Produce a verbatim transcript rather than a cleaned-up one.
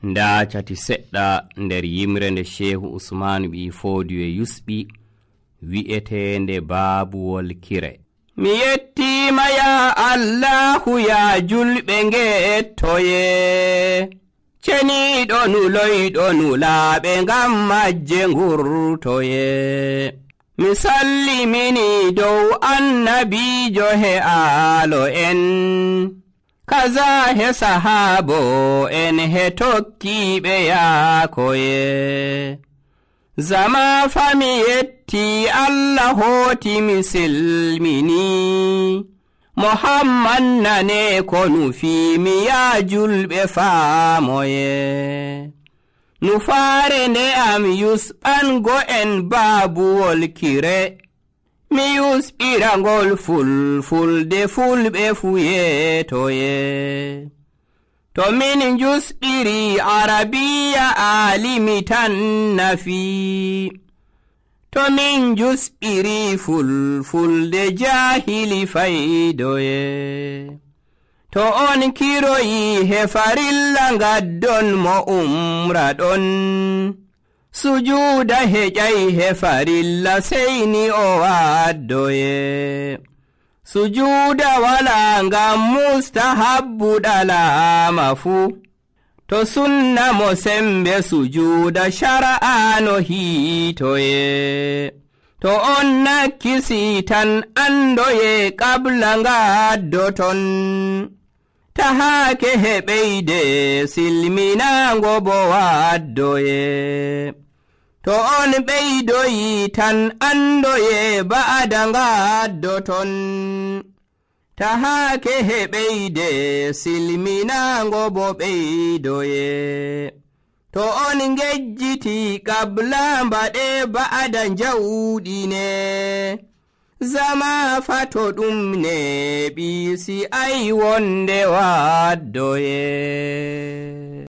nda cati seɗɗa nder yimre nde Shehu Usmanu ɓi Fodiyo yusɓi wi'etende Babuwol Kire. Mi yettima ya Allahu ya julɓe ngettoye, ceniɗo nuloyɗo nulaɓe ngam majje ngurtoye. Mi sallimini dow annabijo he aalo en, kaza he sahabo en he tokkiɓe yaakoye. Zama fami yetti Allah hoti mi silmini, Muhammad nane ko nufi mi ya julɓe faamoye. Nufaare nde am yusɓango en Babuwol Kire, mi yusɓirangol fulfulde fulɓe fuyetoye. To min jusɓiri Arabiya alimi tan nafi, to min jusɓiri fulfulde jahili faydoye. To on kiroyi he farilla ngaddon mo umra ɗon, sujuda heƴay he farilla seyni o waddoye. Sujuda wala ngam mustahabbu ɗalama fu, to sunna mo sembe sujuda shara'ano hitoye. To on nakkisi tan andoye qabla ngaddoton, tahake heɓeyde silminango bo waddoye. To on ɓeydoyi tan andoye ba'ada ngaddoton, tahake heɓeyde silminango bo ɓeydoye. To on ngejjiti qabla mbaɗe ba'ada njawɗine, zama fato ɗum ne ɓisi ay wonde waddoye.